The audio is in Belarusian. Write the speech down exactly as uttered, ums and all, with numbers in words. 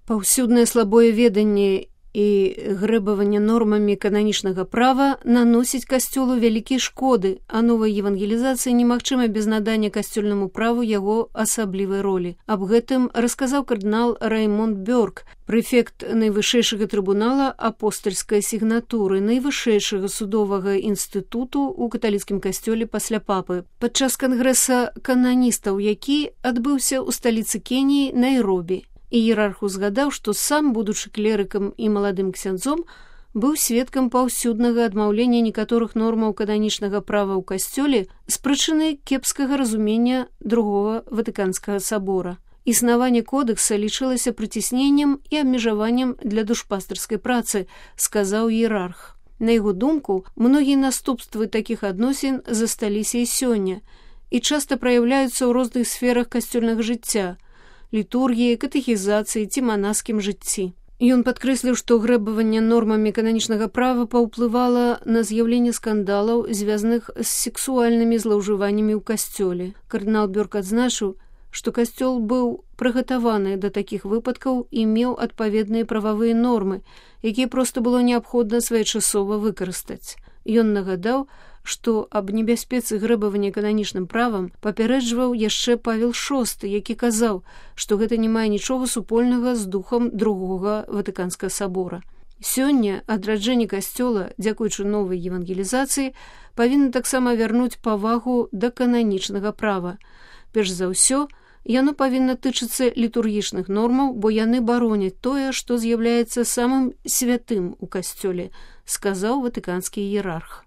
Паўсюднае слабое веданне і грэбаванне нормамі кананічнага права наносіць касцёлу вялікія шкоды, а новая евангелізацыя немагчыма без надання касцёльнаму праву яго асаблівай ролі. Аб гэтым расказаў кардынал Раймонд Бёрк, прэфект найвышэйшага трыбунала апостальскай сігнатуры, найвышэйшага судовага інстытуту ў каталіцкім касцёле пасля папы, падчас кангрэса кананістаў, які адбыўся ў сталіцы Кеніі Найробі. Іерарх узгадаў, што сам, будучы клерыкам і маладым ксяндзом, быў сведкам паўсюднага адмаўлення некаторых нормаў кананічнага права ў касцёле з прычыны кепскага разумення другога Ватыканскага сабора. Існаванне кодэкса лічылася прыцісненнем і абмежаваннем для душпастарскай працы, сказаў іерарх. На яго думку, многія наступствы такіх адносін засталіся і сёння і часта праяўляюцца ў розных сферах касцёльнага жыцця, літургіі, катэхізацыі ці манаскім жыцці. Ён падкрэсліў, што грэбаванне нормамі кананічнага права паўплывала на з'яўленне скандалаў, звязаных з сексуальнымі злоўжываннямі ў касцёле. Кардынал Бёрк адзначыў, што касцёл быў прыгатаваны да такіх выпадкаў і меў адпаведныя прававыя нормы, якія проста было неабходна своечасова выкарыстаць. Ён нагадаў, што аб небяспецы грэбавання кананічным правам папярэджваў яшчэ Павел шосты, які казаў, што гэта не мае нічога супольнага з духам другога Ватыканскага сабора. Сёння адраджэнне касцёла, дзякуючы новай евангелізацыі, павінна таксама вярнуць павагу да кананічнага права. Перш за ўсё, яно павінна тычыцца літургічных нормаў, бо яны бароняць тое, што з'яўляецца самым святым у касцёле, сказаў ватыканскі іерарх.